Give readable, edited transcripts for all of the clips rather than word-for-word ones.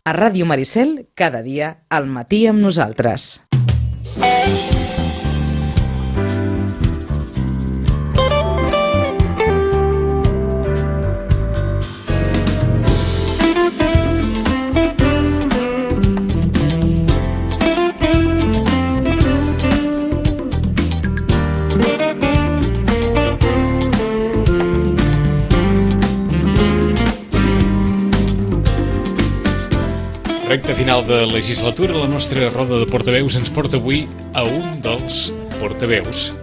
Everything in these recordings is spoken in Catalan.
A Ràdio Maricel, cada dia, al matí amb nosaltres. Recte final de legislatura, la nostra roda de portaveus ens porta avui a un dels portaveus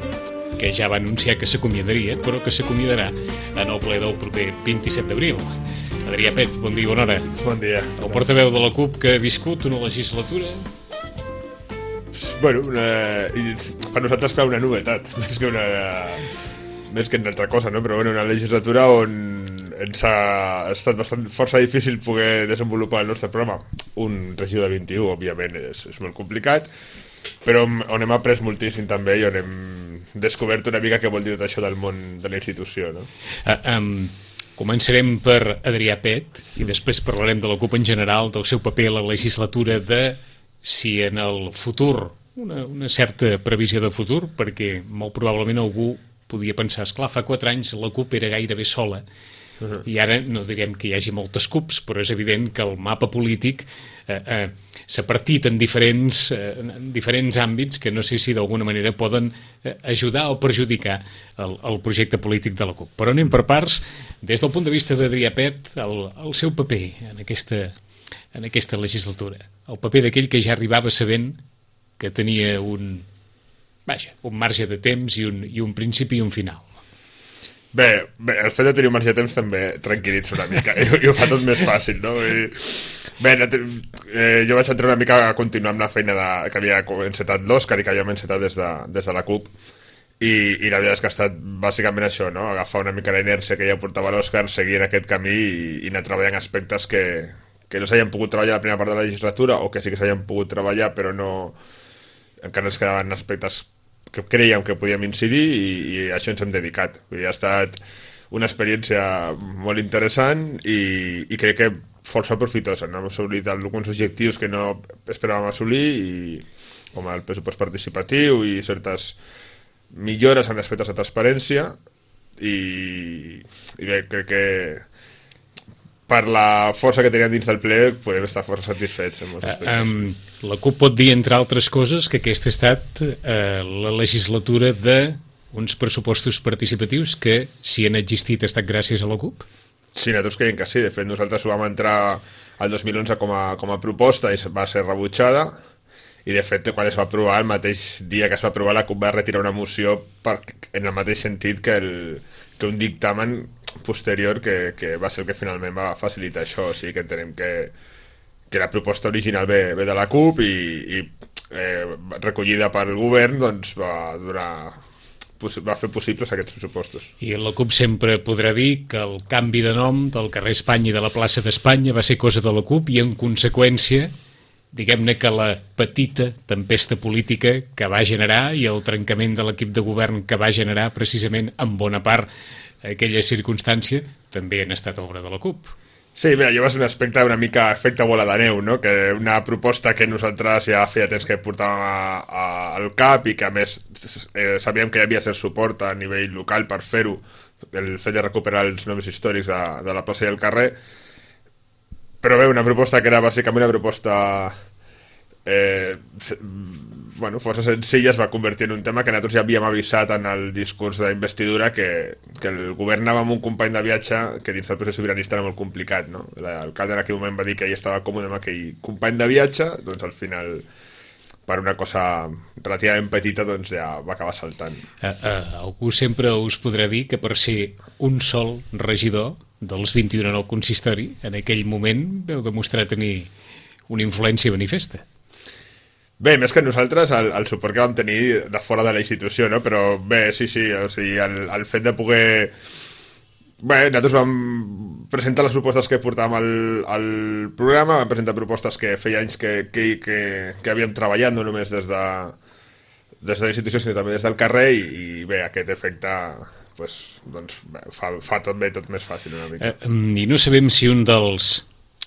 que ja va anunciar que s'acomiadaria, però que s'acomiadarà en el ple del proper 27 d'abril. Adrià Pet, bon dia i bona hora. Bon dia. El portaveu de la CUP que ha viscut una legislatura... Bueno, per nosaltres clar una novetat, més que una altra cosa, no? Però bueno, una legislatura on ens ha estat força difícil poder desenvolupar el nostre programa. Un regidor de 21, òbviament, és molt complicat, però on hem après moltíssim també i on hem descobert una mica què vol dir tot això del món de la institució, no? Començarem per Adrià Pet i després parlarem de la CUP en general, del seu paper a la legislatura, de si en el futur, una certa previsió de futur, perquè molt probablement algú podia pensar, esclar, fa 4 anys la CUP era gairebé sola, i ara no direm que hi hagi moltes CUPs, però és evident que el mapa polític s'ha partit en diferents àmbits que no sé si d'alguna manera poden ajudar o perjudicar el projecte polític de la CUP. Però anem per parts. Des del punt de vista d'Adrià Pet, el seu paper en aquesta legislatura, el paper d'aquell que ja arribava sabent que tenia un marge de temps i un principi i un final. Bé, el fet de tenir un marge de temps també tranquil·litza una mica i ho fa tot més fàcil, no? Jo vaig entrar una mica a continuar amb la feina que havia encetat l'Òscar i que havíem encetat des de la CUP i la veritat és que ha estat bàsicament això, no? Agafar una mica la inèrcia que ja portava l'Òscar, seguir en aquest camí i anar treballant aspectes que no s'havien pogut treballar a la primera part de la legislatura o que sí que s'havien pogut treballar però no encara ens quedaven aspectes que creiem que podíem incidir i a això ens hem dedicat. Ha estat una experiència molt interessant i crec que força profitosa. Hem assolit alguns objectius que no esperàvem assolir, com el pressupost participatiu i certes millores en aspectes de transparència i bé, crec que per la força que teníem dins del ple podem estar força satisfets en molts aspectes. La CUP pot dir, entre altres coses, que aquesta ha estat la legislatura d'uns pressupostos participatius que, si han existit, ha estat gràcies a la CUP? Sí, nosaltres creiem que sí. De fet, nosaltres ho vam entrar el 2011 com a proposta i va ser rebutjada i, de fet, quan es va aprovar, el mateix dia que es va aprovar, la CUP va retirar una moció en el mateix sentit que un dictamen posterior que va ser el que finalment va facilitar això. O sigui que entenem que la proposta original ve de la CUP i recollida pel govern doncs va fer possibles aquests pressupostos. I la CUP sempre podrà dir que el canvi de nom del carrer Espanya i de la plaça d'Espanya va ser cosa de la CUP i en conseqüència diguem-ne que la petita tempesta política que va generar i el trencament de l'equip de govern que va generar precisament en bona part aquella circumstància també han estat obra de la CUP. Sí, bé, allò va ser un aspecte una mica efecte bola de neu, no? Que una proposta que nosaltres ja feia temps que portàvem al cap i que a més sabíem que hi havia cert suport a nivell local per fer-ho, el fet de recuperar els noms històrics de la plaça i el carrer, però bé, una proposta que era bàsicament una proposta força senzilla, es va convertir en un tema que nosaltres ja havíem avisat en el discurs d'investidura que el govern anava amb un company de viatge que dins del procés sobiranista era molt complicat, no? L'alcalde en aquell moment va dir que ell estava còmode amb aquell company de viatge, doncs al final per una cosa relativament petita doncs ja va acabar saltant. Algú sempre us podrà dir que per ser un sol regidor dels 21 en el consistori, en aquell moment veu demostrar tenir una influència manifesta. Bé, més que nosaltres, el suport que vam tenir de fora de la institució, no? Però bé, sí, o sigui, el fet de poder... Bé, nosaltres vam presentar les propostes que portàvem al programa, vam presentar propostes que feia anys que havíem treballat, no només des de la institució, sinó també des del carrer, i bé, aquest efecte doncs, fa tot bé, tot més fàcil una mica. I no sabem si un dels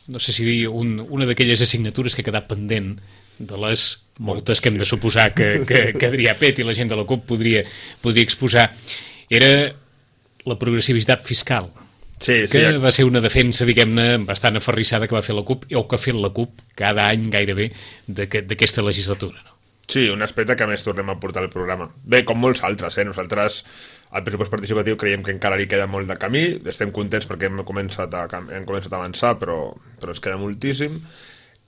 no sé si dir, una d'aquelles assignatures que ha quedat pendent de les moltes que hem de suposar que Adrià Pet i la gent de la CUP podria exposar, era la progressivitat fiscal. Sí, que va ser una defensa, diguem-ne, bastant aferrissada que va fer la CUP, o que ha fet la CUP cada any gairebé d'aquesta legislatura, no? Sí, un aspecte que a més tornem a portar al programa. Bé, com molts altres, nosaltres al pressupost participatiu creiem que encara li queda molt de camí, estem contents perquè hem començat a avançar, però ens queda moltíssim,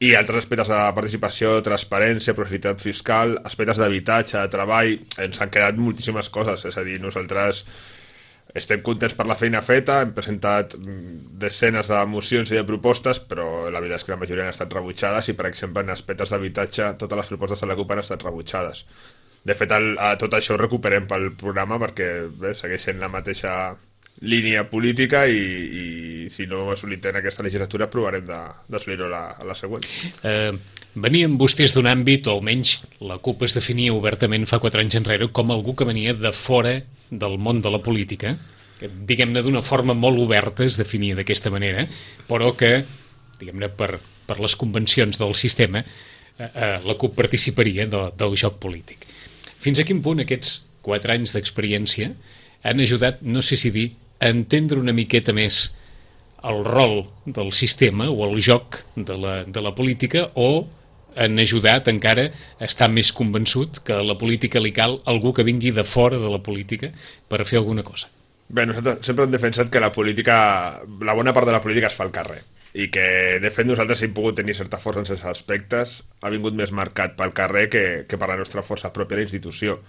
i altres aspectes de participació, transparència, progressivitat fiscal, aspectes d'habitatge, de treball, ens han quedat moltíssimes coses, és a dir, nosaltres estem contents per la feina feta, hem presentat desenes de mocions i de propostes, però la veritat és que la majoria han estat rebutjades i, per exemple, en aspectes d'habitatge, totes les propostes de la CUP han estat rebutjades. De fet, tot això ho recuperem pel programa perquè segueix sent la mateixa línia política i si no ho assolit en aquesta legislatura provarem d'assolir-ho a la següent. Venien vostès d'un àmbit, o almenys la CUP es definia obertament fa 4 anys enrere com algú que venia de fora del món de la política, que diguem-ne d'una forma molt oberta es definia d'aquesta manera, però que, diguem-ne, per les convencions del sistema la CUP participaria del joc polític. Fins a quin punt aquests 4 anys d'experiència han ajudat, no sé si dir, a entendre una miqueta més el rol del sistema o el joc de la política, o han ajudat encara a estar més convençut que a la política li cal algú que vingui de fora de la política per fer alguna cosa? Bé, nosaltres sempre hem defensat que la bona part de la política es fa al carrer i que, de fet, nosaltres hem pogut tenir certa força en certs aspectes, ha vingut més marcat pel carrer que per la nostra força pròpia a la institució.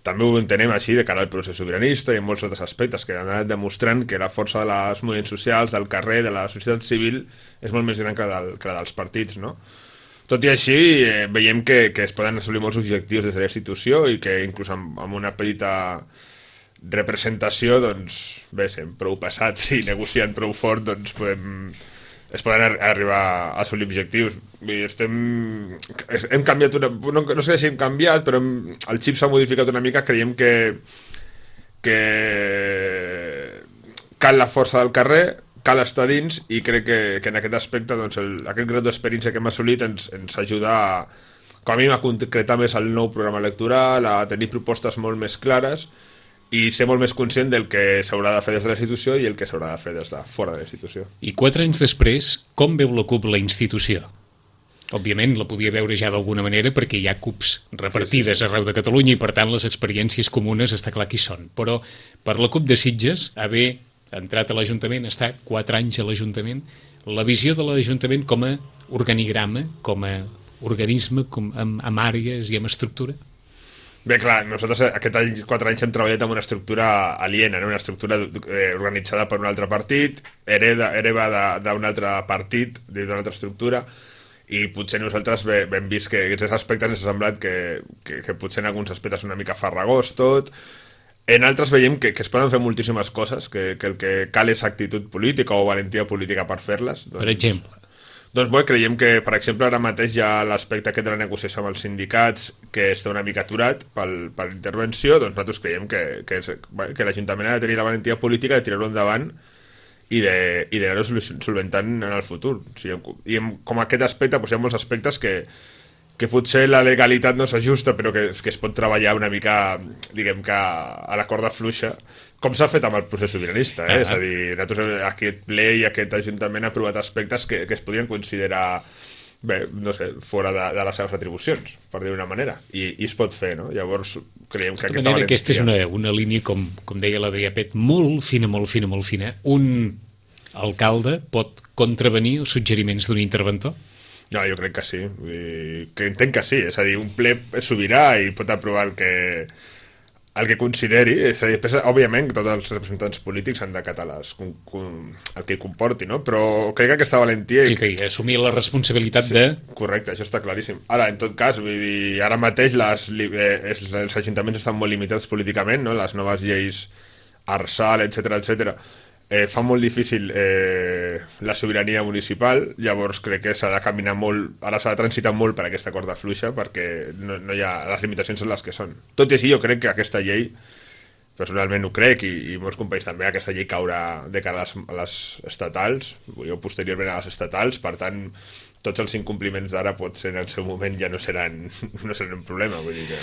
També ho entenem així de cara al procés sobiranista i en molts altres aspectes que han anat demostrant que la força de les moviments socials, del carrer, de la societat civil, és molt més gran que la dels partits, no? Tot i així, veiem que es poden assolir molts objectius des de la institució i que inclús amb una petita representació, doncs, bé, sent prou passats i negociant prou fort, doncs es poden arribar a assolir objectius. Hem canviat no sé si hem canviat, però el xip s'ha modificat una mica, creiem que cal la força del carrer, cal estar dins, i crec que en aquest aspecte doncs, aquest grau d'experiència que hem assolit ens ajuda com a mínim a concretar més el nou programa electoral, a tenir propostes molt més clares i ser molt més conscient del que s'haurà de fer des de la institució i el que s'haurà de fer des de fora de la institució. I 4 anys després, com veu la CUP la institució? Òbviament la podia veure ja d'alguna manera perquè hi ha CUPs repartides arreu de Catalunya i per tant les experiències comunes està clar qui són, però per la CUP de Sitges, haver entrat a l'Ajuntament, estar 4 anys a l'Ajuntament, la visió de l'Ajuntament com a organigrama, com a organisme amb àrees i amb estructura? Bé, clar, nosaltres aquests 4 anys hem treballat amb una estructura aliena, no? Una estructura organitzada per un altre partit, hereva d'un altre partit, d'una altra estructura, i potser nosaltres hem vist que aquests aspectes ens ha semblat que potser en alguns aspectes una mica farragós tot. En altres veiem que es poden fer moltíssimes coses, que el que cal és actitud política o valentia política per fer-les. Per exemple? Doncs bé, creiem que, per exemple, ara mateix hi ha l'aspecte aquest de la negociació amb els sindicats que està una mica aturat per l'intervenció, doncs nosaltres creiem que l'Ajuntament ha de tenir la valentia política de tirar-ho endavant i d'anar-ho solventant en el futur. O sigui, i com aquest aspecte, doncs hi ha molts aspectes que potser la legalitat no s'ajusta, però que es pot treballar una mica, diguem que a la corda fluixa, com s'ha fet amb el procés sobiranista, és a dir, nosaltres aquest ple i aquest Ajuntament ha aprovat aspectes que es podrien considerar, bé, no sé, fora de les seves atribucions, per dir d'una manera, i es pot fer, no? Llavors, creiem que aquesta valentia... Aquesta és una línia, com deia l'Adrià Pet, molt fina, molt fina, molt fina. Un alcalde pot contravenir els suggeriments d'un interventor? No, jo crec que sí, que entenc que sí, és a dir, un ple és sobirà i pot aprovar el que consideri, és a dir, després, òbviament, tots els representants polítics han d'acatar el que comporti, no? Però crec que aquesta valentia... Sí, que assumir la responsabilitat de... Correcte, això està claríssim. Ara, en tot cas, vull dir, ara mateix els ajuntaments estan molt limitats políticament, no? Les noves lleis Arsal, etc fa molt difícil la sobirania municipal, llavors crec que s'ha de caminar molt, ara s'ha de transitar molt per aquesta corda fluixa perquè no hi ha, les limitacions són les que són. Tot i així jo crec que aquesta llei personalment ho crec, i molts companys també, aquesta llei caurà de cara a les estatals, o posteriorment a les estatals, per tant, tots els incompliments d'ara potser en el seu moment ja no seran un problema. Vull dir que...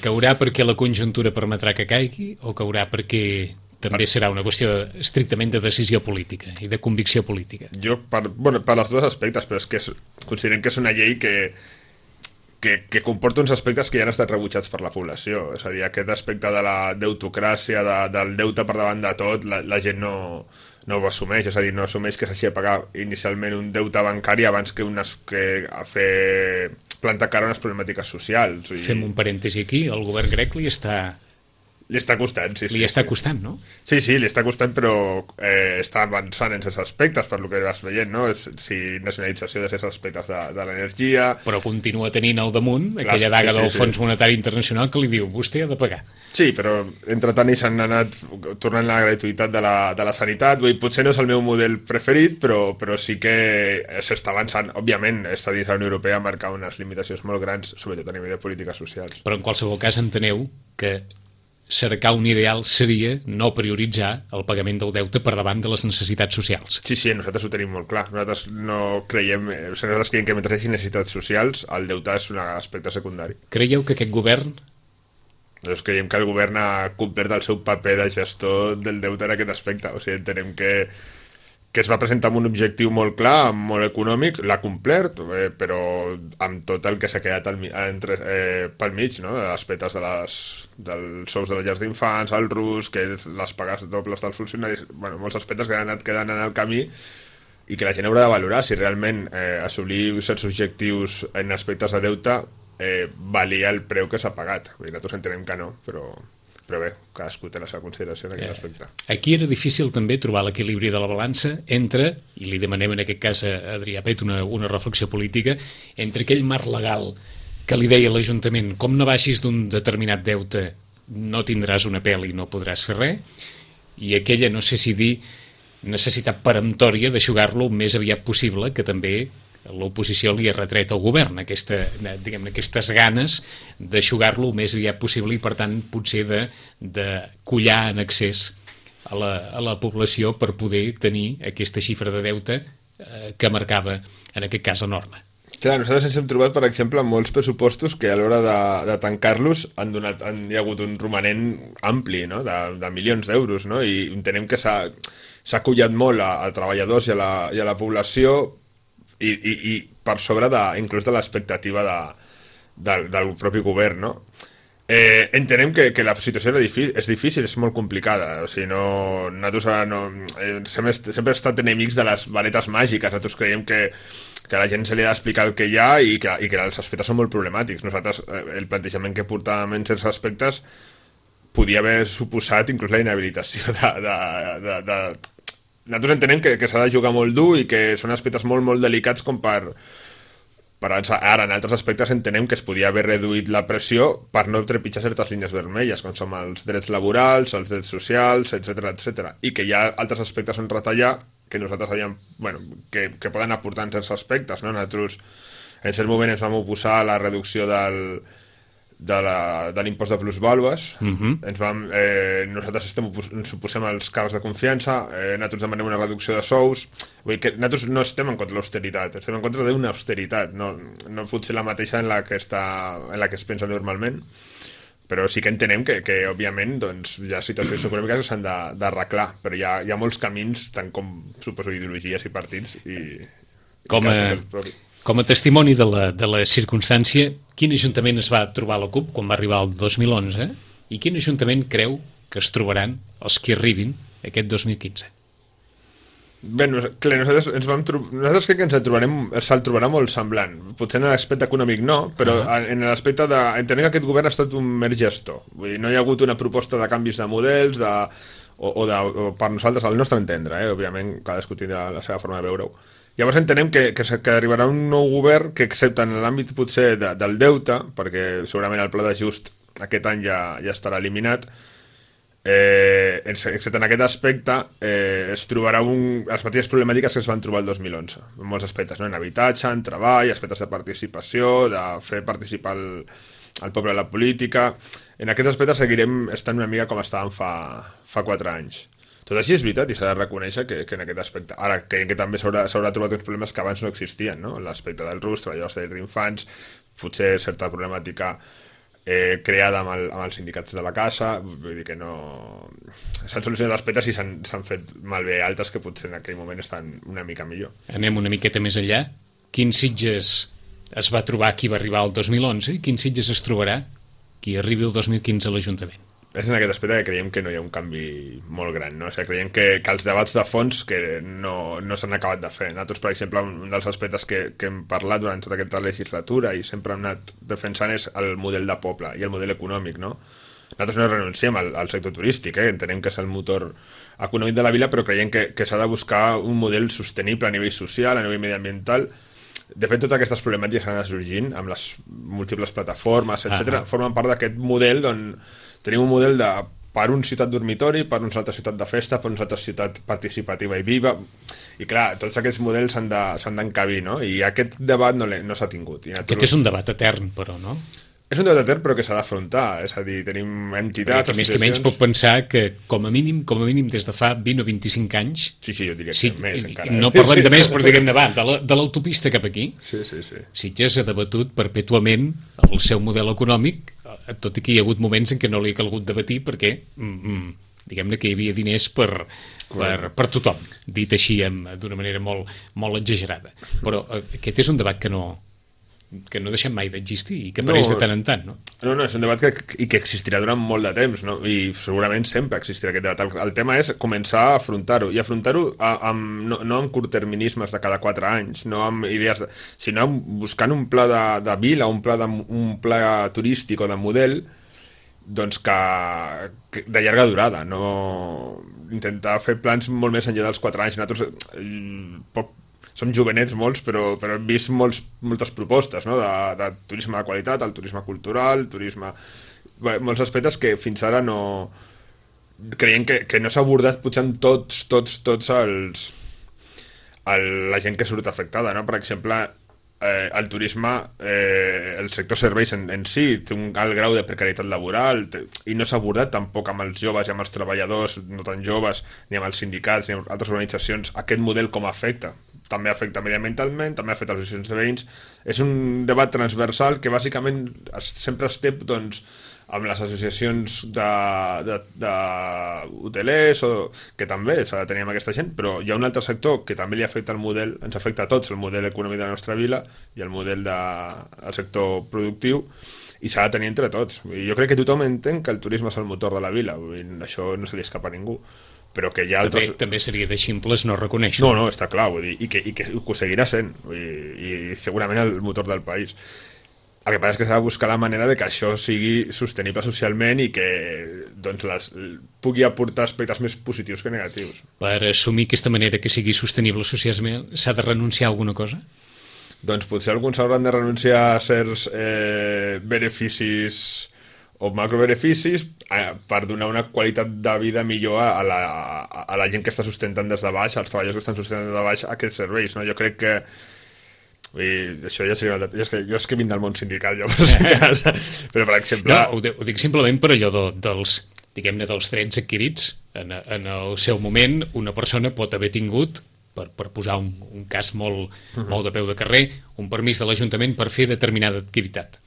Caurà perquè la conjuntura permetrà que caigui, o caurà perquè també serà una qüestió estrictament de decisió política i de convicció política? Jo, per els dos aspectes, però és que considerem que és una llei que comporta uns aspectes que ja han estat rebutjats per la població. És a dir, aquest aspecte de la deutocràcia, del deute per davant de tot, la gent no ho assumeix, és a dir, no assumeix que s'hagi de pagar inicialment un deute bancari abans que a fer plantar cara a unes problemàtiques socials. Fem un parèntesi aquí, el govern grec li està costant, sí. Li està costant, no? Sí, li està costant, però està avançant en certs aspectes, per lo que vas veient, no? Nacionalització de certs aspectes de l'energia... Però continua tenint al damunt aquella daga del Fons Monetari Internacional que li diu, vostè ha de pagar. Sí, però entretant s'han anat tornant la gratuïtat de la sanitat. Vull dir, potser no és el meu model preferit, però sí que s'està avançant. Òbviament, està dins la Unió Europea marcar unes limitacions molt grans, sobretot a nivell de polítiques socials. Però en qualsevol cas enteneu que cercar un ideal seria no prioritzar el pagament del deute per davant de les necessitats socials. Sí, nosaltres ho tenim molt clar. Nosaltres no creiem, nosaltres creiem que mentre hi hagi necessitats socials, el deute és un aspecte secundari. Creieu que aquest govern... Nosaltres creiem que el govern ha complert el seu paper de gestor del deute en aquest aspecte. O sigui, entenem que es va presentar amb un objectiu molt clar, molt econòmic, l'ha complert, però amb tot el que s'ha quedat pel mig, no? Aspectes dels sous de les llars d'infants, el RUS, que les pagues dobles dels funcionaris, molts aspectes que han anat quedant en el camí i que la gent haurà de valorar si realment assolir certs objectius en aspectes de deute valia el preu que s'ha pagat. Nosaltres entenem que no, però bé, cadascú té la seva consideració en aquest aspecte. Aquí era difícil també trobar l'equilibri de la balança entre, i li demanem en aquest cas a Adrià Pet una reflexió política, entre aquell marc legal que li deia l'Ajuntament, com no baixis d'un determinat deute no tindràs una pèl i no podràs fer res, i aquella, no sé si dir, necessitat peremptòria d'aixugar-lo el més aviat possible, que també l'oposició li ha retret al govern aquestes ganes d'aixugar-lo el més aviat possible i per tant potser de collar en excés a la població per poder tenir aquesta xifra de deute que marcava en aquest cas la norma. Clar, nosaltres ens hem trobat, per exemple, amb molts pressupostos que a l'hora de tancar-los hi ha hagut un romanent ampli, no? de milions d'euros, no? I entenem que s'ha collat molt a treballadors i a la població i per sobre inclús de l'expectativa del propi govern, no? Entenem que la situació és difícil, és molt complicada. O sigui, nosaltres sempre hem estat enemics de les varetes màgiques. Nosaltres creiem que a la gent se li ha d'explicar el que hi ha i que els aspectes són molt problemàtics. Nosaltres, el plantejament que portàvem en certs aspectes podia haver suposat inclús la inhabilitació Nosaltres entenem que s'ha de jugar molt dur i que són aspectes molt, molt delicats com per ara, en altres aspectes entenem que es podia haver reduït la pressió per no trepitjar certes línies vermelles, com són els drets laborals, els drets socials, etc. I que hi ha altres aspectes on retallar que nosaltres havíem, que poden aportar en certs aspectes, no? Nosaltres en cert moment ens vam oposar a la reducció de l'impost de plusvàlues. Nosaltres ens oposem als càrrecs de confiança, nosaltres demanem una reducció de sous. Vull dir que nosaltres no estem en contra de l'austeritat, estem en contra d'una austeritat, no pot ser la mateixa en la que es pensa normalment, però sí que entenem que òbviament, doncs, hi ha situacions econòmiques que s'han d'arreglar, però hi ha molts camins, tant com, suposo, ideologies i partits. Com a testimoni de la circumstància, quin ajuntament es va trobar la CUP quan va arribar el 2011 i quin ajuntament creu que es trobaran els que arribin aquest 2015? Bé, nosaltres crec que se'l trobarà molt semblant. Potser en l'aspecte econòmic no, però en l'aspecte entenem que aquest govern ha estat un mer gestor. Vull dir, no hi ha hagut una proposta de canvis de models o per nosaltres, al nostre entendre, òbviament cadascú tindrà la seva forma de veure-ho. Llavors entenem que arribarà un nou govern que, excepte en l'àmbit potser del deute, perquè segurament el pla d'ajust aquest any ja estarà eliminat, excepte en aquest aspecte, es trobarà les mateixes problemàtiques que es van trobar el 2011, en molts aspectes, no? En habitatge, en treball, aspectes de participació, de fer participar el poble a la política. En aquest aspecte seguirem estant una mica com estàvem fa 4 anys. Tot així és veritat i s'ha de reconèixer que en aquest aspecte... Ara, creiem que també s'haurà trobat uns problemes que abans no existien, no? L'aspecte del RUS, treballadors d'infants, potser certa problemàtica creada amb els sindicats de la casa, vull dir que no... S'han solucionat aspectes i s'han fet malbé altres que potser en aquell moment estan una mica millor. Anem una miqueta més enllà. Quins Sitges es va trobar qui va arribar el 2011 i quins Sitges es trobarà qui arribi el 2015 a l'Ajuntament? És en aquest aspecte que creiem que no hi ha un canvi molt gran, no? O sigui, creiem que els debats de fons que no s'han acabat de fer. Nosaltres, per exemple, un dels aspectes que hem parlat durant tota aquesta legislatura i sempre hem anat defensant és el model de poble i el model econòmic, no? Nosaltres no renunciem al sector turístic, entenem que és el motor econòmic de la vila, però creiem que s'ha de buscar un model sostenible a nivell social, a nivell mediambiental. De fet, totes aquestes problemàtiques que han anat sorgint amb les múltiples plataformes, etc., formen part d'aquest model d'on tenim un model per un ciutat dormitori, per una altra ciutat de festa, per una altra ciutat participativa i viva, i clar, tots aquests models s'han d'encabir, no? I aquest debat no s'ha tingut. Aquest és un debat etern, però, no? És un debat etern, però que s'ha d'afrontar, és a dir, tenim entitats... Perquè més que menys puc pensar que, com a mínim, des de fa 20 o 25 anys... Sí, jo diria que més, encara. No parlem de més, però diguem-ne, de l'autopista cap aquí. Sí. Sitges ha debatut perpètuament el seu model econòmic, tot i que hi ha hagut moments en què no li ha calgut debatir perquè, diguem-ne, que hi havia diners per tothom, dit així d'una manera molt, molt exagerada. Però aquest és un debat que no deixem mai d'existir i que apareix de tant en tant, no? No, és un debat que existirà durant molt de temps, no? I segurament sempre existirà aquest debat. El tema és començar a afrontar-ho, i afrontar-ho no amb curtterminismes de cada 4 anys, no amb idees, sinó buscant un pla de vila, un pla turístic o de model, doncs que de llarga durada, no intentar fer plans molt més enllà dels 4 anys. Nosaltres som jovenets molts, però hem vist moltes propostes, no? de turisme de qualitat, el turisme cultural, molts aspectes que fins ara no... Creiem que no s'ha abordat potser amb tots la gent que surt afectada, no? Per exemple, el turisme, el sector serveis en si té un alt grau de precarietat laboral i no s'ha abordat tampoc amb els joves i amb els treballadors no tan joves, ni amb els sindicats ni amb altres organitzacions, aquest model com afecta. També afecta mediambientalment, també afecta les associacions de veïns. És un debat transversal que bàsicament sempre es té doncs, amb les associacions d'hotelers, que també s'ha de tenir amb aquesta gent, però hi ha un altre sector que també li afecta el model, ens afecta a tots, el model econòmic de la nostra vila i el model del sector productiu, i s'ha de tenir entre tots. I jo crec que tothom entén que el turisme és el motor de la vila, això no se li escapa a ningú. Però que hi ha altres... També seria de ximples no reconèixer. No, està clar, vull dir, i que ho seguirà sent, i segurament el motor del país. El que passa és que s'ha de buscar la manera de que això sigui sostenible socialment i que doncs, pugui aportar aspectes més positius que negatius. Per assumir aquesta manera que sigui sostenible socialment, s'ha de renunciar a alguna cosa? Doncs potser alguns hauran de renunciar a certs beneficis o macrobeneficis per donar una qualitat de vida millor a la gent que està sustentant des de baix, als treballadors que estan sustentant des de baix aquests serveis, no? Jo crec que això ja seria jo és que vinc del món sindical, però per exemple... No, ho dic simplement per allò dels drets adquirits. En el seu moment una persona pot haver tingut, per posar un cas molt de peu de carrer, un permís de l'Ajuntament per fer determinada activitat.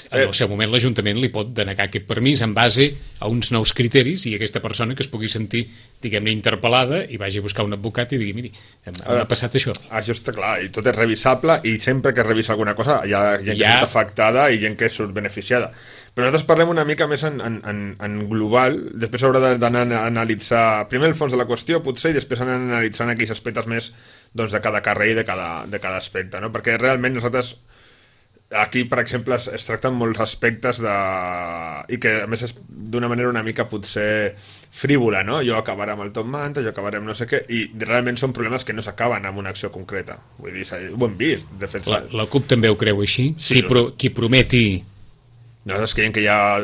En el seu moment l'Ajuntament li pot denegar aquest permís en base a uns nous criteris i aquesta persona que es pugui sentir, diguem-ne, interpel·lada i vagi a buscar un advocat i digui, miri, m'ha passat això. Això està clar, i tot és revisable i sempre que es revisa alguna cosa hi ha gent que surt afectada i gent que surt beneficiada. Però nosaltres parlem una mica més en global, després haurà d'anar a analitzar primer el fons de la qüestió, potser, i després anar analitzant aquells aspectes més doncs, de cada carrer i de cada aspecte, no? Perquè realment nosaltres aquí, per exemple, es tracten molts aspectes i que, a més, és d'una manera una mica potser frívola, no? Jo acabaré amb el top manta, jo acabaré amb no sé què, i realment són problemes que no s'acaben amb una acció concreta. Vull dir, ho hem vist. De fet, la CUP també ho creu així? Sí, qui prometi... Nosaltres creiem que hi ha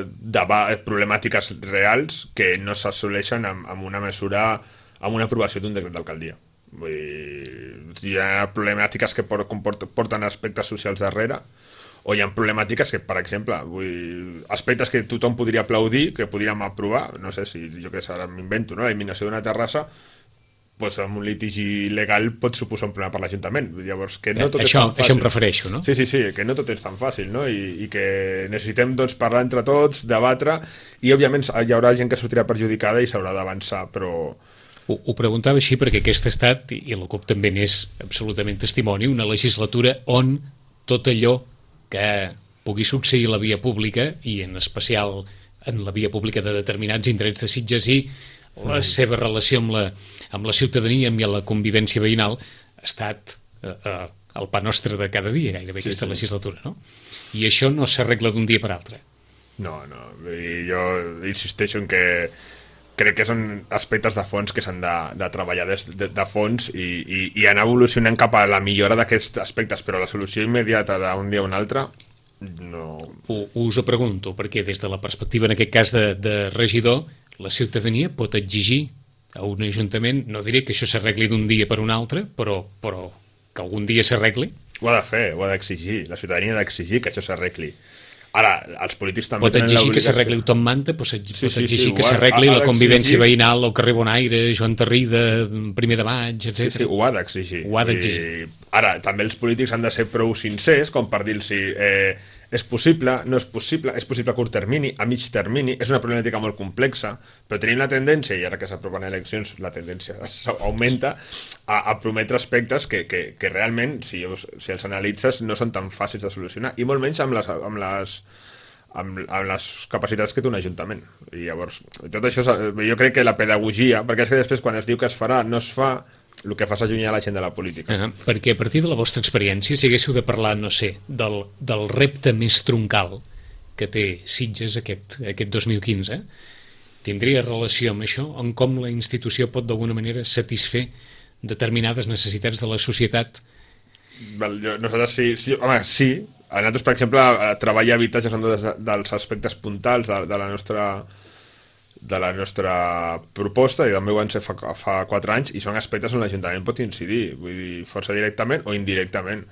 problemàtiques reals que no s'assoleixen amb una mesura, amb una aprovació d'un decret d'alcaldia. Vull dir, hi ha problemàtiques que porten aspectes socials darrere, O hi ha problemàtiques que, per exemple, aspectes que tothom podria aplaudir, que podríem aprovar, no sé si jo que sé, ara m'invento, no? L'eliminació d'una terrassa, doncs amb un litigi legal pot suposar un problema per l'Ajuntament. Llavors, que no tot és tan fàcil. Això em prefereixo, no? Sí, que no tot és tan fàcil, no? I que necessitem doncs, parlar entre tots, debatre, i òbviament hi haurà gent que sortirà perjudicada i s'haurà d'avançar, però... Ho preguntava així perquè aquest ha estat, i la CUP també n'és absolutament testimoni, una legislatura on tot allò que pugui succeir a la via pública, i en especial en la via pública de determinats indrets de Sitges i la seva relació amb la ciutadania i amb la convivència veïnal ha estat el pa nostre de cada dia, gairebé aquesta legislatura, no? I això no s'arregla d'un dia per altre. No, jo insisteixo en que crec que són aspectes de fons que s'han de treballar de fons i anar evolucionant cap a la millora d'aquests aspectes, però la solució immediata d'un dia a un altre no... Us ho pregunto, perquè des de la perspectiva, en aquest cas, de regidor, la ciutadania pot exigir a un ajuntament, no diré que això s'arregli d'un dia per un altre, però que algun dia s'arregli? Ho ha de fer, ho ha d'exigir. La ciutadania ha d'exigir que això s'arregli. Ara, els polítics també pot exigir que s'arregli el Tom Manta, pot exigir que s'arregli la convivència veïnal al carrer Bonaire, Joan Tarrida, 1 de maig, etc. Sí, ho ha d'exigir. Ara, també els polítics han de ser prou sincers com per dir-los és possible, no és possible, és possible a curt termini, a mig termini, és una problemàtica molt complexa, però tenim la tendència, i ara que s'aproven eleccions la tendència augmenta, a prometre aspectes que realment, si els analitzes, no són tan fàcils de solucionar, i molt menys amb les capacitats que té un ajuntament. I llavors, tot això, jo crec que la pedagogia, perquè és que després quan es diu que es farà, no es fa, el que fa és allunyar la gent de la política. Perquè a partir de la vostra experiència, si haguéssiu de parlar, no sé, del repte més troncal que té Sitges aquest 2015, tindria relació amb això, en com la institució pot d'alguna manera satisfer determinades necessitats de la societat? Nosaltres sí. Home, sí. A nosaltres, per exemple, treball i habitatge són dels aspectes puntals de la nostra proposta, i també ho van ser fa 4 anys, i són aspectes on l'Ajuntament pot incidir, vull dir, força directament o indirectament.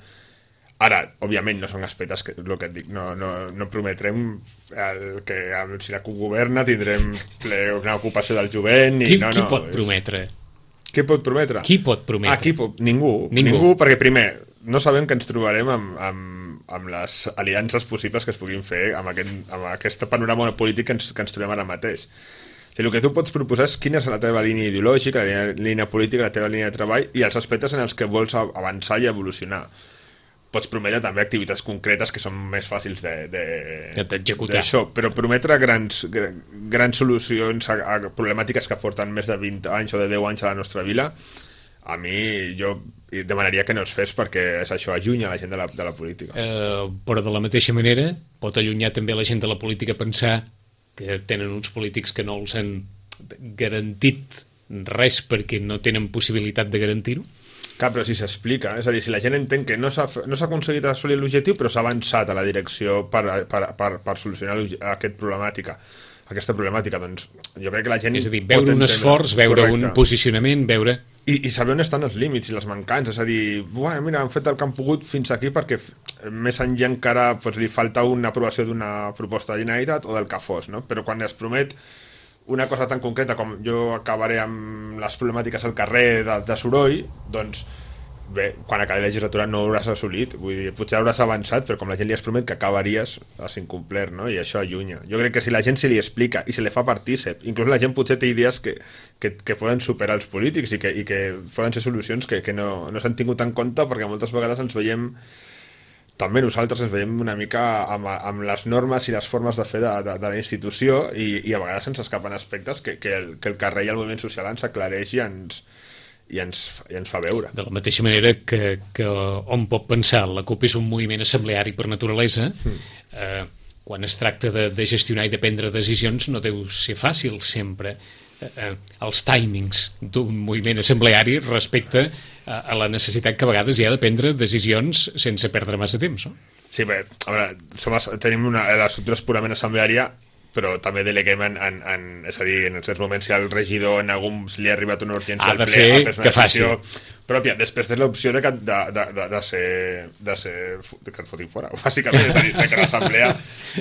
Ara, òbviament, no són aspectes que, el que et dic, no prometrem que si la CUP governa tindrem una ocupació del jovent. Qui pot prometre? Qui pot prometre? Qui pot prometre? Ningú, perquè primer, no sabem que ens trobarem amb les aliances possibles que es puguin fer amb aquest panorama polític que ens trobem ara mateix. El que tu pots proposar és quina és la teva línia ideològica, la línia política, la teva línia de treball i els aspectes en els que vols avançar i evolucionar. Pots prometre també activitats concretes que són més fàcils d'executar. Però prometre grans solucions a problemàtiques que porten més de 20 anys o de 10 anys a la nostra vila, a mi jo demanaria que no es fes, perquè és això, allunya la gent de la política. Però de la mateixa manera pot allunyar també la gent de la política pensar que tenen uns polítics que no els han garantit res perquè no tenen possibilitat de garantir-ho? Clar, però si s'explica, és a dir, si la gent entén que no s'ha aconseguit assolir l'objectiu, però s'ha avançat a la direcció per solucionar aquesta problemàtica, doncs jo crec que la gent... És a dir, veure un esforç, veure un posicionament, veure... I saber on estan els límits i les mancances, és a dir, mira, han fet el que han pogut fins aquí perquè més enllà encara li falta una aprovació d'una proposta de Generalitat o del que fos, no? Però quan es promet una cosa tan concreta com jo acabaré amb les problemàtiques al carrer de soroll, doncs bé, quan acabi la legislatura no ho hauràs assolit, vull dir, potser hauràs avançat, però com la gent li has promet que acabaries, has incomplert, no? I això allunya. Jo crec que si la gent se li explica i se li fa partícip, inclús la gent potser té idees que poden superar els polítics i que poden ser solucions que no s'han tingut en compte, perquè moltes vegades ens veiem, també nosaltres ens veiem una mica amb les normes i les formes de fer de la institució i a vegades ens escapen aspectes que el carrer i el moviment social ens aclareix i ens fa veure. De la mateixa manera que on pot pensar la CUP és un moviment assembleari per naturalesa, quan es tracta de gestionar i de prendre decisions no deu ser fàcil sempre els timings d'un moviment assembleari respecte a la necessitat que a vegades hi ha de prendre decisions sense perdre massa temps, no? Sí, bé, a veure, tenim l'estructura purament assembleària, però també deleguem és a dir, en certs moments si al regidor en alguns li ha arribat una urgència al ple, ha de fer que faci pròpia, després té l'opció de ser que et fotin fora, bàsicament, és a dir, que l'assemblea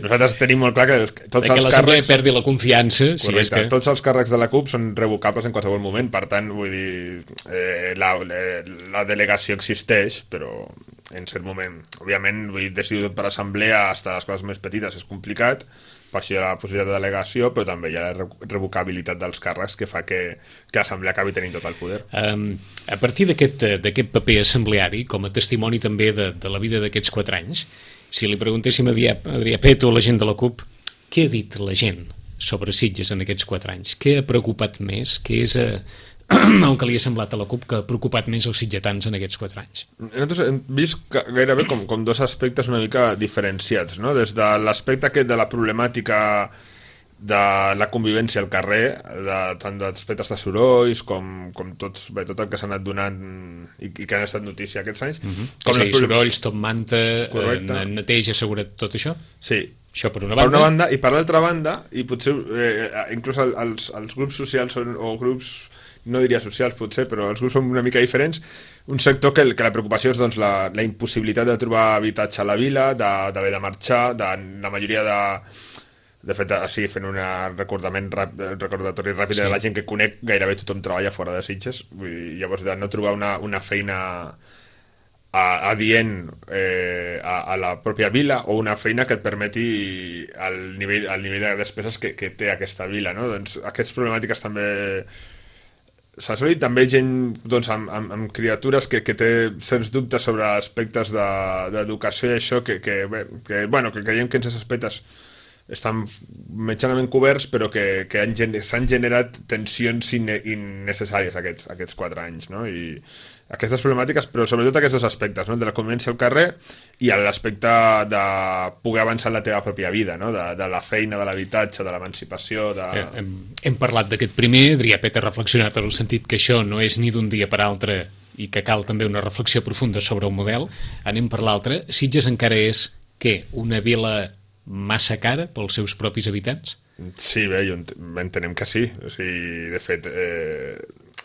nosaltres tenim molt clar que tots els l'assemblea càrrecs perdi la confiança, correcte, si és que tots els càrrecs de la CUP són revocables en qualsevol moment, per tant vull dir la delegació existeix, però en cert moment, òbviament vull dir, decidir tot per assemblea fins a les coses més petites és complicat, per això hi ha la possibilitat de delegació, però també hi ha la revocabilitat dels càrrecs que fa que l'assemblea acabi tenint tot el poder. A partir d'aquest paper assembleari, com a testimoni també de la vida d'aquests 4 anys, si li preguntéssim a Adrià Peto, la gent de la CUP, què ha dit la gent sobre Sitges en aquests 4 anys? Què ha preocupat més? Què és el que li ha semblat a la CUP que ha preocupat més els sitgetans en aquests 4 anys? Nosaltres hem vist gairebé com dos aspectes una mica diferenciats, no? Des de l'aspecte aquest de la problemàtica de la convivència al carrer, tant d'aspectes de sorolls com tot el que s'ha anat donant i que han estat notícia aquests anys. Com sorolls, top manta, neteja, seguretat, tot això? Sí. Això per una banda. Per una banda, i per l'altra banda, i potser inclús els grups socials o grups no diria socials potser, però els grups són una mica diferents, un sector que la preocupació és doncs, la impossibilitat de trobar habitatge a la vila, d'haver de marxar, la majoria de fet, així fent un recordatori ràpid de la gent que conec, gairebé tothom treballa fora de Sitges, vull dir, llavors de no trobar una feina adient a la pròpia vila o una feina que et permeti el nivell de despeses que té aquesta vila, no? Doncs aquestes problemàtiques també s'ha assolit, també gent doncs, amb criatures que té certs dubtes sobre aspectes d'educació i això que creiem que en aquests aspectes estan mitjanament coberts però que s'han generat tensions innecessàries aquests 4 anys, no? I aquestes problemàtiques, però sobretot aquests dos aspectes, no? De la convivència al carrer i l'aspecte de poder avançar en la teva pròpia vida, no? De la feina, de l'habitatge, de l'emancipació... Hem parlat d'aquest primer, Adrià Peto ha reflexionat en el sentit que això no és ni d'un dia per altre i que cal també una reflexió profunda sobre el model. Anem per l'altre. Sitges encara és, què? Una vila massa cara pels seus propis habitants? Sí, bé, entenem que sí. O sigui, de fet...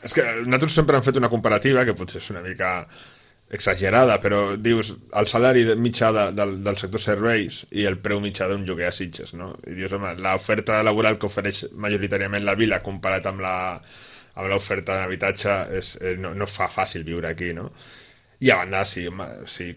és que nosaltres sempre hem fet una comparativa que potser és una mica exagerada, però dius el salari mitjà del sector serveis i el preu mitjà d'un lloguer a Sitges, no? I dius, home, l'oferta laboral que ofereix majoritàriament la vila comparat amb l'oferta d'habitatge no fa fàcil viure aquí, no? I a banda, si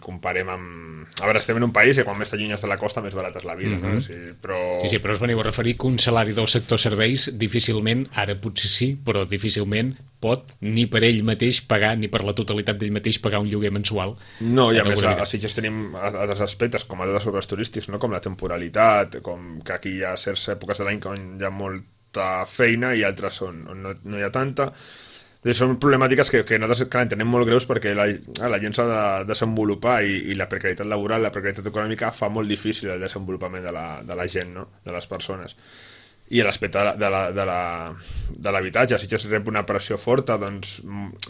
comparem amb... A veure, estem en un país que quan més t'allunyes de la costa més barata és la vida, no? Sí, però us veniu a referir que un salari del sector serveis difícilment, ara potser sí, però difícilment pot ni per ell mateix pagar, ni per la totalitat d'ell mateix pagar un lloguer mensual. No, i a més a Sitges tenim altres aspectes, com a tots els serveis turístics, no? Com la temporalitat, com que aquí hi ha certes èpoques de l'any on hi ha molta feina i altres on no hi ha tanta. Són problemàtiques que nosaltres entenem molt greus perquè la gent s'ha de desenvolupar i la precarietat laboral, la precarietat econòmica fa molt difícil el desenvolupament de la gent, no? De les persones. I l'aspecte de l'habitatge, si rep una pressió forta, doncs,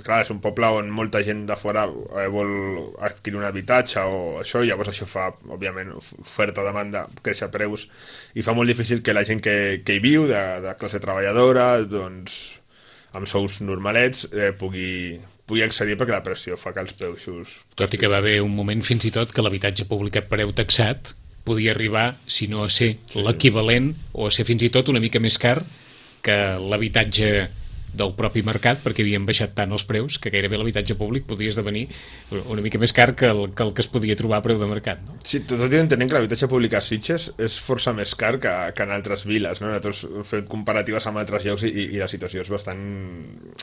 clar, és un poble on molta gent de fora vol adquirir un habitatge o això, i llavors això fa, òbviament, oferta-demanda, créixer preus, i fa molt difícil que la gent que hi viu, de classe treballadora, doncs amb sous normalets, pugui accedir perquè la pressió fa que els preus... Tot i que va haver un moment fins i tot que l'habitatge públic a preu taxat podia arribar, si no a ser l'equivalent, o a ser fins i tot una mica més car que l'habitatge del propi mercat, perquè havien baixat tant els preus que gairebé l'habitatge públic podia esdevenir una mica més car que el que es podia trobar a preu de mercat, no? Sí, tot i entenent que l'habitatge públic a Sitges és força més car que en altres viles, no? Nosaltres hem fet comparatives amb altres llocs i la situació és bastant...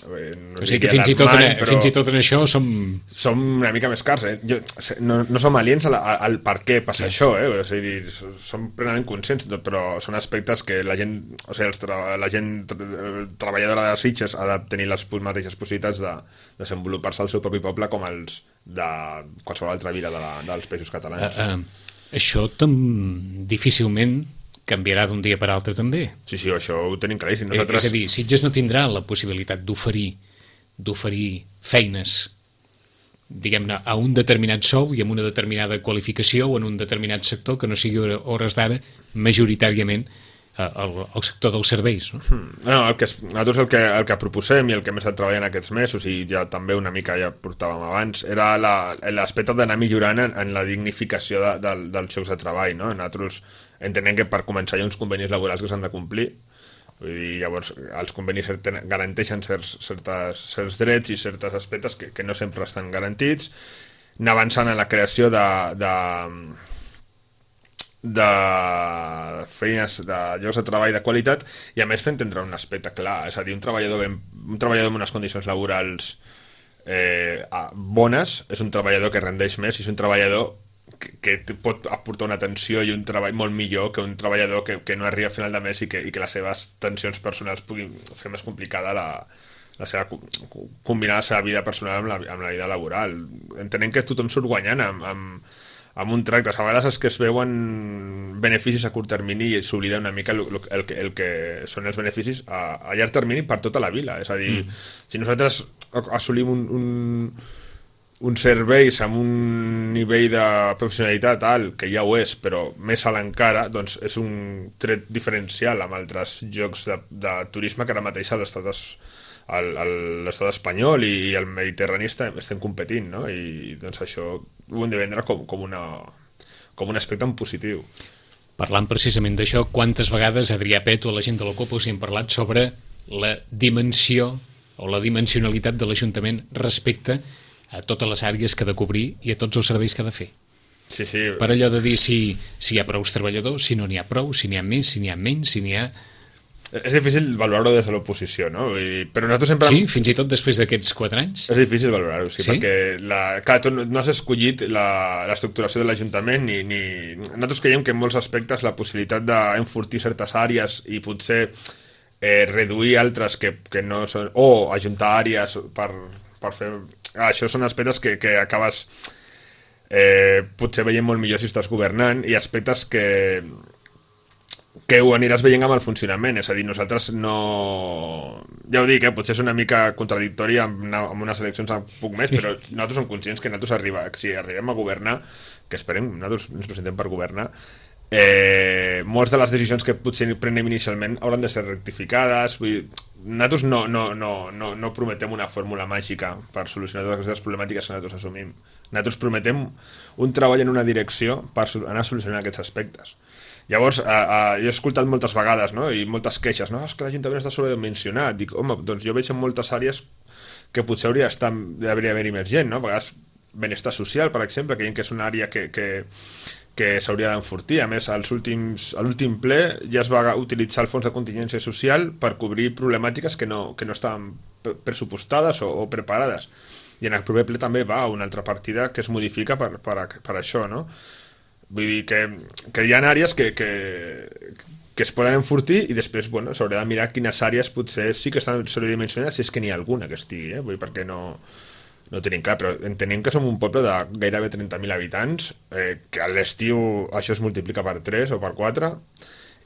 o sigui que fins i tot en això som una mica més cars, no som aliens al per què passa això, o sigui, som plenament conscients, però són aspectes que la gent, o sigui, la gent treballadora de Sitges ha de tenir les mateixes possibilitats de desenvolupar-se al seu propi poble com els de qualsevol altra vila dels països catalans. Això difícilment canviarà d'un dia per altre també. Sí, això ho tenim claríssim. És a dir, Sitges no tindrà la possibilitat d'oferir feines, diguem-ne, a un determinat sou i amb una determinada qualificació o en un determinat sector que no sigui hores d'ara majoritàriament el sector dels serveis, no? No, nosaltres el que proposem i el que hem estat treballant aquests mesos, i ja també una mica ja portàvem abans, era l'aspecte d'anar millorant en la dignificació dels llocs de treball, no? Nosaltres entenem que per començar hi ha uns convenis laborals que s'han de complir, vull dir, llavors els convenis garanteixen certs drets i certs aspectes que no sempre estan garantits, anar avançant en la creació de feines, de llocs de treball de qualitat, i a més fer entendre un aspecte clar, és a dir, un treballador amb unes condicions laborals bones és un treballador que rendeix més i és un treballador que pot aportar una atenció i un treball molt millor que un treballador que no arriba a final de mes i que les seves tensions personals puguin fer més complicada combinar la seva vida personal amb la vida laboral. Entenem que tothom surt guanyant amb un tracte. A vegades és que es veuen beneficis a curt termini i s'oblida una mica el que són els beneficis a llarg termini per tota la vida. És a dir, si nosaltres assolim uns serveis amb un nivell de professionalitat alt, que ja ho és, però més alt encara, doncs és un tret diferencial amb altres llocs de turisme que ara mateix a l'estat espanyol i el mediterrani estem competint, no? I doncs això ho hem de vendre com un aspecte en positiu. Parlant precisament d'això, quantes vegades Adrià Pet o la gent de la COP us hi hem parlat sobre la dimensió o la dimensionalitat de l'Ajuntament respecte a totes les àrees que ha de cobrir i a tots els serveis que ha de fer. Sí, sí. Per allò de dir si hi ha prou treballadors, si no n'hi ha prou, si n'hi ha més, si n'hi ha menys, si n'hi ha... És difícil valorar-ho des de l'oposició, no? Però nosaltres sempre... Sí, fins i tot després d'aquests 4 anys? És difícil valorar-ho, sí, perquè tu no has escollit l'estructuració de l'Ajuntament ni... Nosaltres creiem que en molts aspectes la possibilitat d'enfortir certes àrees i potser reduir altres que no són... o ajuntar àrees per fer... Això són aspectes que acabes potser veient molt millor si estàs governant i aspectes que ho aniràs veient amb el funcionament, és a dir, nosaltres no... Ja ho dic, potser és una mica contradictori amb unes eleccions un poc més, però nosaltres som conscients que nosaltres si arribem a governar, que esperem, nosaltres ens presentem per governar, moltes de les decisions que potser prenem inicialment hauran de ser rectificades, vull dir, nosaltres no prometem una fórmula màgica per solucionar totes aquestes problemàtiques que nosaltres assumim. Nosaltres prometem un treball en una direcció per anar solucionant aquests aspectes. Llavors, jo he escoltat moltes vegades, no? I moltes queixes, no? És que l'Ajuntament està sobredimensionat. Dic, home, doncs jo veig en moltes àrees que potser hauria d'haver-hi més gent, no? A vegades benestar social, per exemple, creiem que és una àrea que s'hauria d'enfortir. A més, a l'últim ple ja es va utilitzar el fons de contingència social per cobrir problemàtiques que no estaven pressupostades o preparades. I en el proper ple també va una altra partida que es modifica per això, no? Vull dir que hi ha àrees que es poden enfortir i després s'haurà de mirar quines àrees potser sí que estan sobredimensionades, si és que n'hi ha alguna que estigui, vull dir, perquè no tenim clar, però entenem que som un poble de gairebé 30.000 habitants, que a l'estiu això es multiplica per 3 o per 4,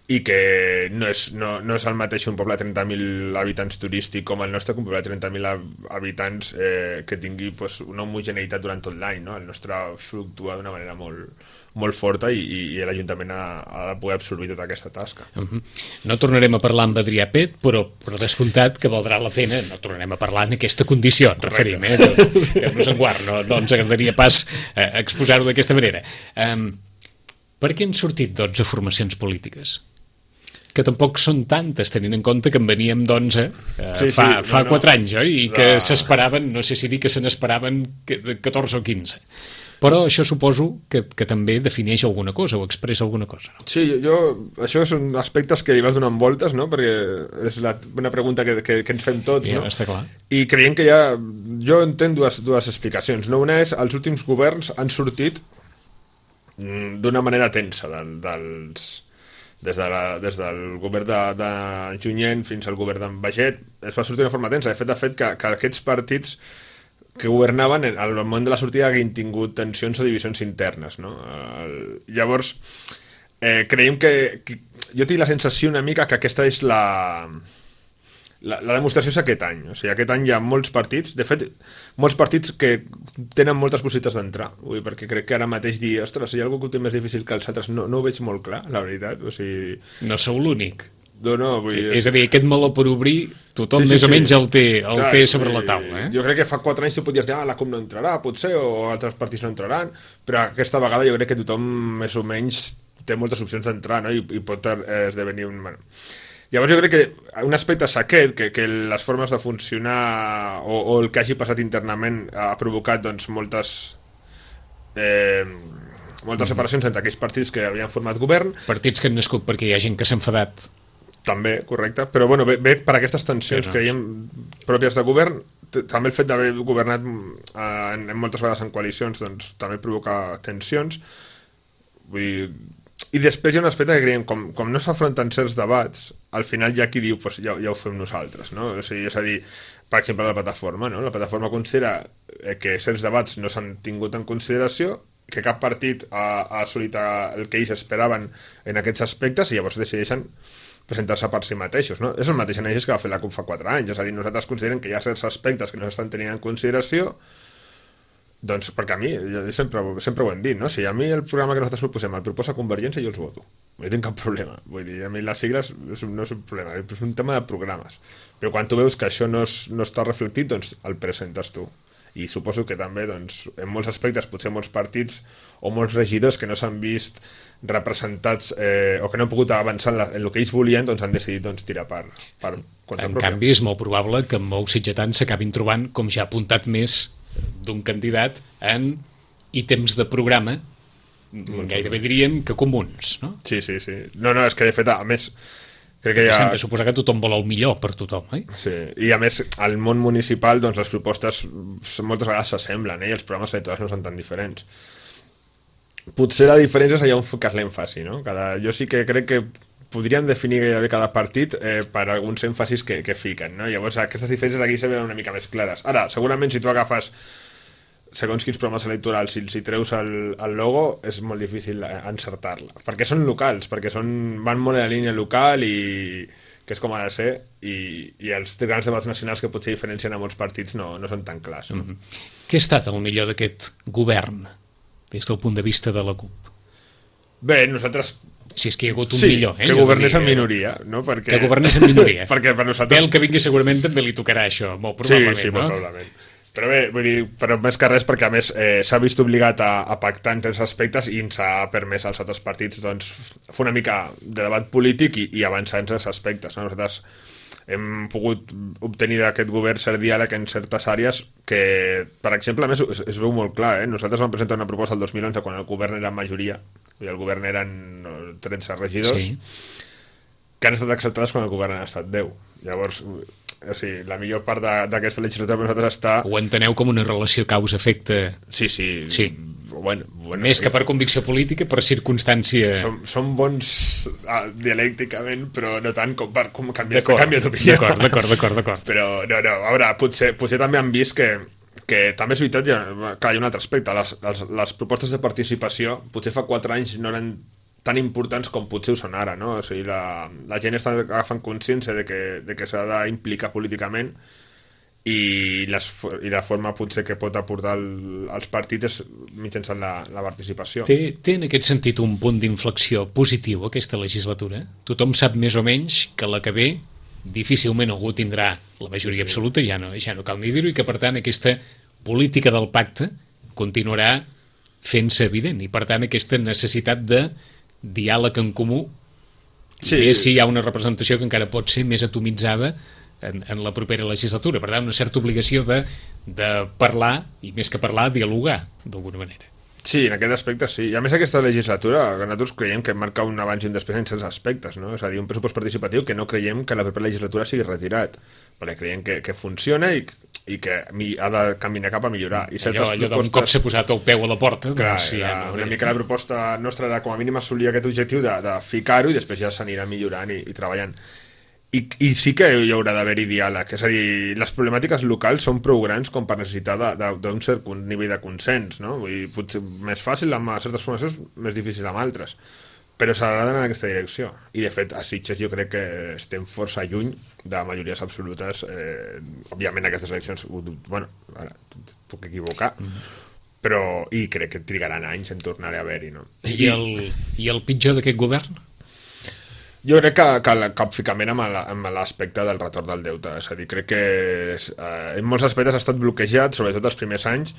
i que no és el mateix un poble de 30.000 habitants turístic com el nostre, que un poble de 30.000 habitants que tingui una homogeneïtat durant tot l'any, no? El nostre fluctua d'una manera molt forta i l'Ajuntament ha de poder absorbir tota aquesta tasca. No tornarem a parlar amb Adrià Pet, però descomptat que valdrà la pena, no tornarem a parlar en aquesta condició, ens referim, que no se'n guard, no ens agradaria pas exposar-ho d'aquesta manera. Per què han sortit 12 formacions polítiques? Que tampoc són tantes, tenint en compte que en veníem d'11 fa 4 anys, oi? I que s'esperaven, no sé si dir que se n'esperaven 14 o 15. Però això suposo que també defineix alguna cosa o expressa alguna cosa. No? Sí, això són aspectes que li vas donant voltes, no? Perquè és una pregunta que ens fem tots, ja, no? Està clar. I creiem que jo entenc dues explicacions, no? Una és, els últims governs han sortit d'una manera tensa des del govern de Junyent fins al govern d'en Baget, es va sortir d'una forma tensa. De fet que aquests partits que governaven al moment de la sortida haguin tingut tensions o divisions internes, no? Llavors, creiem que jo tinc la sensació una mica que aquesta és la demostració és aquest any. O sigui, aquest any hi ha molts partits, de fet, molts partits que tenen moltes possibilitats d'entrar. Perquè crec que ara mateix dir, ostres, si hi ha algú que ho té més difícil que els altres, no ho veig molt clar, la veritat. O sigui... No sou l'únic. No, vull dir... És a dir, aquest meló per obrir, tothom més o menys el té sobre la taula. Jo crec que fa 4 anys tu podies dir, la CUP no entrarà, potser, o altres partits no entraran, però aquesta vegada jo crec que tothom més o menys té moltes opcions d'entrar, no? I pot esdevenir un... Bueno. Llavors jo crec que un aspecte és aquest, que les formes de funcionar o el que hagi passat internament ha provocat doncs, moltes separacions entre aquells partits que havien format govern. Partits que han nascut perquè hi ha gent que s'ha enfadat. També, correcte, però bueno, ve per aquestes tensions que hi ha pròpies de govern. També el fet d'haver governat moltes vegades en coalicions doncs, també provoca tensions. Vull dir... I després hi ha un aspecte que creiem, com no s'afronten certs debats, al final hi ha qui diu pues, ja ho fem nosaltres, no? O sigui, és a dir, per exemple, la plataforma, no? La plataforma considera que certs debats no s'han tingut en consideració, que cap partit ha assolit el que ells esperaven en aquests aspectes i llavors decideixen presentar-se per si mateixos, no? És el mateix anàlisi que va fer la CUP fa 4 anys, és a dir, nosaltres considerem que hi ha certs aspectes que no s'estan tenint en consideració. Doncs perquè a mi, jo sempre ho hem dit, no? Si a mi el programa que nosaltres proposem el proposa Convergència, jo els voto. No hi tinc cap problema. Vull dir, a mi les sigles no és un problema, és un tema de programes. Però quan tu veus que això no està reflectit, doncs el presentes tu. I suposo que també, doncs, en molts aspectes, potser molts partits o molts regidors que no s'han vist representats o que no han pogut avançar en el que ells volien, doncs han decidit doncs, tirar per compte En canvi, és molt probable que molts sitgetans s'acabin trobant, com ja ha apuntat més d'un candidat en ítems de programa gairebé diríem que comuns, no? Sí. No, és que de fet, a més, crec que S'han de suposar que tothom vol el millor per tothom, Sí, i a més, al món municipal, doncs les propostes moltes vegades s'assemblen, i els programes electorals no són tan diferents. Potser la diferència és allà on fiques l'èmfasi, no? Jo sí que crec que podríem definir gairebé cada partit per alguns èmfasis que fiquen, no? Llavors aquestes diferències aquí se veuen una mica més clares. Ara, segurament si tu agafes segons quins programes electorals, si treus el logo, és molt difícil encertar-la, perquè són locals, perquè van molt a la línia local i que és com ha de ser, i els grans debats nacionals que potser diferencien a molts partits no són tan clars. No? Què ha estat el millor d'aquest govern des del punt de vista de la CUP? Bé, nosaltres... Si és que hi ha hagut un millor. Que governés en minoria. No? Que governés en minoria. Perquè per nosaltres... Bé, el que vingui segurament també li tocarà això, molt probablement. Sí, molt probablement. Però bé, vull dir, però més que res perquè a més s'ha vist obligat a pactar en aquests aspectes i ens ha permès als altres partits doncs, fer una mica de debat polític i avançar en aquests aspectes. No? Nosaltres hem pogut obtenir d'aquest govern cert diàleg en certes àrees que, per exemple, a més es veu molt clar. Nosaltres vam presentar una proposta el 2011 quan el govern era en majoria, i el govern eren 13 regidors, que han estat acceptades quan el govern han estat 10. Llavors, la millor part d'aquesta legislatura per nosaltres està... Ho enteneu com una relació causa-efecte? Sí. Bueno, més que per convicció política, per circumstància... Som bons dialècticament, però no tant com per canviar d'opinió. D'acord. Però no, a veure, potser també han vist que també és veritat, hi ha un altre aspecte. Les propostes de participació potser fa 4 anys no eren tan importants com potser ho són ara, no? O sigui, la gent està agafant consciència de que s'ha d'implicar políticament i la forma potser que pot aportar als partits és mitjançant la participació. Té en aquest sentit un punt d'inflexió positiu aquesta legislatura? Tothom sap més o menys que la que ve difícilment algú tindrà la majoria absoluta, ja no cal ni dir-ho, i que per tant aquesta política del pacte continuarà fent-se evident, i per tant aquesta necessitat de diàleg en comú, més si hi ha una representació que encara pot ser més atomitzada en la propera legislatura. Per tant, una certa obligació de parlar, i més que parlar, dialogar, d'alguna manera. Sí, en aquest aspecte sí. I a més aquesta legislatura, que nosaltres creiem que marca un abans i un després en certs aspectes, no? És a dir, un pressupost participatiu que no creiem que la propera legislatura sigui retirat, perquè creiem que funciona i que ha de caminar cap a millorar. I allò d'un cop s'ha posat el peu a la porta... Clar, una mica la proposta nostra era com a mínim assolir aquest objectiu de ficar-ho i després ja s'anirà millorant i treballant. I sí que hi haurà d'haver-hi diàleg, és a dir, les problemàtiques locals són prou grans com per necessitar d'un cert nivell de consens, no? Vull dir, potser més fàcil amb certes formacions, més difícil amb altres. però s'haurà d'anar en aquesta direcció. I, de fet, a Sitges jo crec que estem força lluny de majories absolutes. Òbviament, aquestes eleccions, bueno, ara puc equivocar, però i crec que trigaran anys en tornar a haver-hi, no? I el pitjor d'aquest govern? Jo crec que el capficament amb l'aspecte del retorn del deute. És a dir, crec que en molts aspectes ha estat bloquejat, sobretot els primers anys,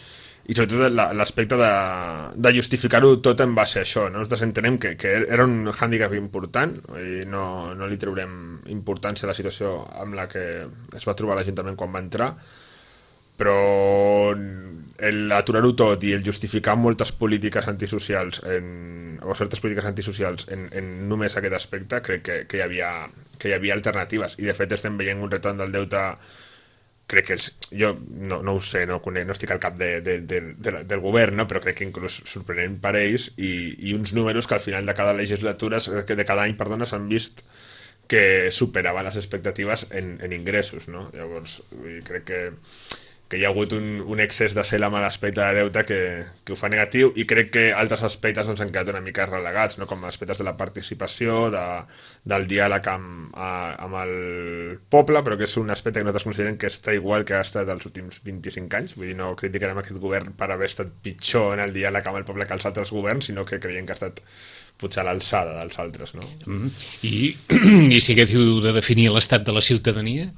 i sobretot l'aspecte de justificar-ho tot en base a això. Nosaltres entenem que era un hàndicap important i no li treurem importància a la situació amb la que es va trobar l'Ajuntament quan va entrar, però l'aturar-ho tot i el justificar moltes polítiques antisocials o certes polítiques antisocials en només aquest aspecte, crec que hi havia alternatives, i de fet estem veient un retorn del deute. Crec que jo no ho sé, no estic al cap del govern, no? Però crec que inclús sorprenent per ells i uns números que al final de cada legislatura, de cada any, perdona, s'han vist que superaven les expectatives en ingressos, no? Llavors, crec que hi ha hagut un excés de zel amb l'aspecte de deute que ho fa negatiu, i crec que altres aspectes han quedat una mica relegats, no? Com aspectes de la participació, del diàleg amb el poble, però que és un aspecte que nosaltres considerem que està igual que ha estat els últims 25 anys. Vull dir, no criticarem aquest govern per haver estat pitjor en el diàleg amb el poble que els altres governs, sinó que creiem que ha estat potser a l'alçada dels altres, no? I si haguéssiu de definir l'estat de la ciutadania?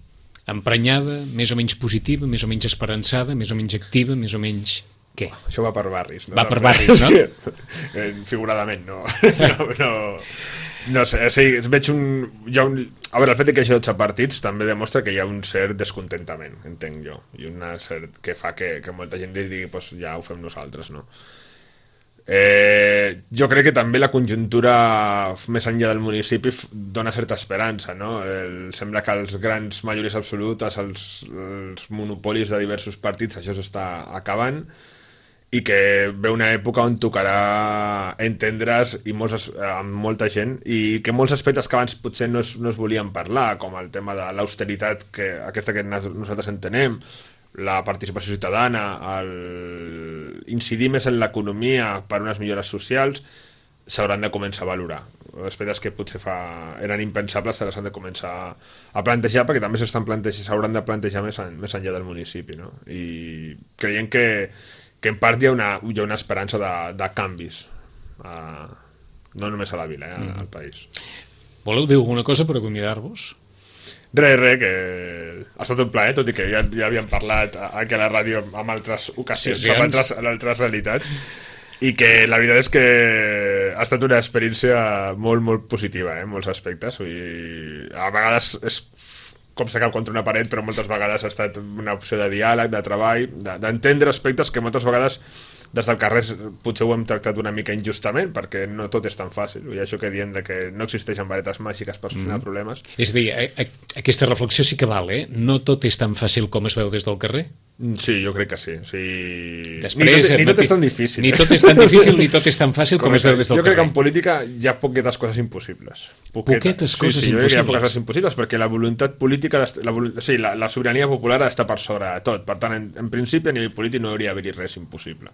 Emprenyada, més o menys positiva, més o menys esperançada, més o menys activa, més o menys... Què? Això va per barris, no? Va per barris, no? Figuradament, no. No sé, veig a veure, el fet que hi hagi 12 partits també demostra que hi ha un cert descontentament, entenc jo, i una cert que fa que molta gent digui, pues ja ho fem nosaltres, no? Jo crec que també la conjuntura més enllà del municipi dona certa esperança, no? Sembla que els grans majories absolutes, els monopolis de diversos partits, això s'està acabant, i que ve una època on tocarà entendre's amb molta gent, i que molts aspectes que abans potser no es volien parlar, com el tema de l'austeritat, aquesta que nosaltres entenem, la participació ciutadana, incidir més en l'economia per unes millores socials, s'hauran de començar a valorar. Aspectes que potser eren impensables s'han de començar a plantejar, perquè també s'hauran de plantejar més enllà del municipi, no? I creiem que en part hi ha una esperança de canvis, no només a la vila, al país. Voleu dir alguna cosa per acomiadar-vos? Res, que ha estat un plaer, tot i que ja havíem parlat aquí a la ràdio en altres ocasions, en altres realitats, i que la veritat és que ha estat una experiència molt, molt positiva, en molts aspectes. A vegades és com s'acaba contra una paret, però moltes vegades ha estat una opció de diàleg, de treball, d'entendre aspectes que moltes vegades des del carrer potser ho hem tractat una mica injustament, perquè no tot és tan fàcil, i això que diem de que no existeixen varetes màgiques per solucionar problemes. És a dir, aquesta reflexió sí que val, no tot és tan fàcil com es veu des del carrer? Sí, jo crec que sí. Després, ni tot és tan difícil. Ni tot és tan difícil ni tot és tan fàcil com es veu des del carrer. Jo crec que en política hi ha poquetes coses impossibles. Poquetes coses impossibles? Jo crec que hi ha poques coses impossibles, perquè la voluntat política, la sobirania popular està per sobre de tot. Per tant, en principi, a nivell polític no hauria d'haver-hi res impossible.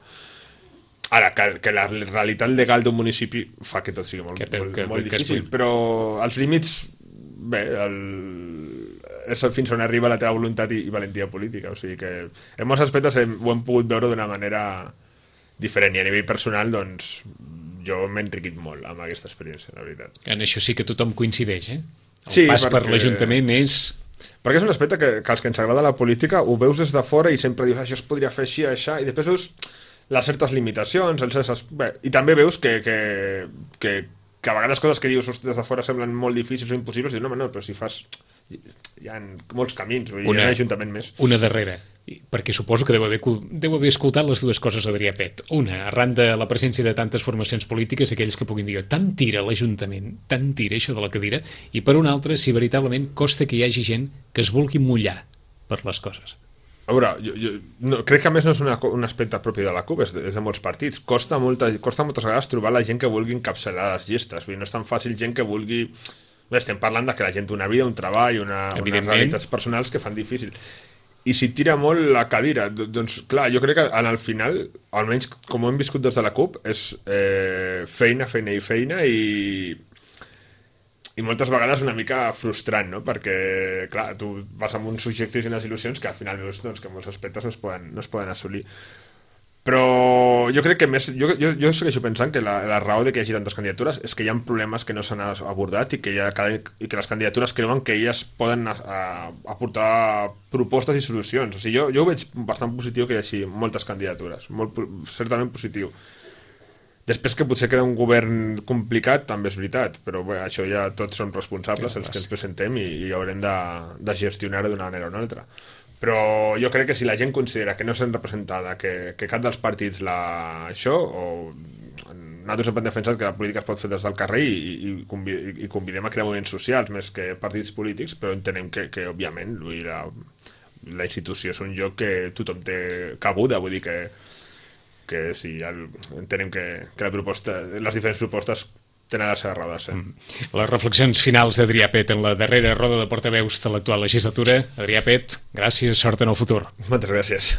Ara, que la realitat legal d'un municipi fa que tot sigui molt difícil, però els límits, bé, és fins on arriba la teva voluntat i valentia política, o sigui que en molts aspectes ho hem pogut veure d'una manera diferent, i a nivell personal doncs jo m'he enriquit molt amb aquesta experiència, la veritat. En això sí que tothom coincideix, El pas per l'Ajuntament és... Perquè és un aspecte que els que ens agrada la política ho veus des de fora i sempre dius això es podria fer així, això, i després veus les certes limitacions, i també veus que a vegades coses que dius des de fora semblen molt difícils o impossibles, i dius, no, però si fas... Hi ha molts camins, hi ha un ajuntament més. Una darrera, perquè suposo que deu haver escoltat les dues coses Adrià Pet. Una, arran de la presència de tantes formacions polítiques, aquells que puguin dir tant tira l'Ajuntament, tant tira això de la cadira, i per una altra, si veritablement costa que hi hagi gent que es vulgui mullar per les coses. A veure, jo crec que a més no és un aspecte propi de la CUP, és de molts partits. Costa moltes vegades trobar la gent que vulgui encapçalar les llistes. Vull dir, no és tan fàcil gent que vulgui... Bé, estem parlant de que la gent té una vida, un treball, unes realitats personals que fan difícil. i si tira molt la cadira. Doncs clar, jo crec que al final, almenys com ho hem viscut des de la CUP, és feina i moltes vegades una mica frustrant, no? Perquè, clar, tu vas amb uns objectius i unes il·lusions que al final veus doncs, que molts aspectes no es poden assolir. Però jo crec que més... Jo segueixo pensant que la raó de que hi hagi tantes candidatures és que hi ha problemes que no s'han abordat i que les candidatures creuen que elles poden aportar propostes i solucions. O sigui, jo ho veig bastant positiu que hi hagi moltes candidatures, certament positiu. Després que potser queda un govern complicat, també és veritat, però bé, això ja tots som responsables, els que ens presentem, i haurem de gestionar-ho d'una manera o una altra. Però jo crec que si la gent considera que no s'han representada, que cap dels partits això, o nosaltres hem defensat que la política es pot fer des del carrer i convidem a crear moviments socials més que partits polítics, però entenem que òbviament, la institució és un lloc que tothom té cabuda, vull dir que sí, entenem que les diferents propostes tenen les seves rodes. Les reflexions finals d'Adrià Pet en la darrera roda de portaveus de l'actual legislatura. Adrià Pet, gràcies, sort en el futur. Moltes gràcies.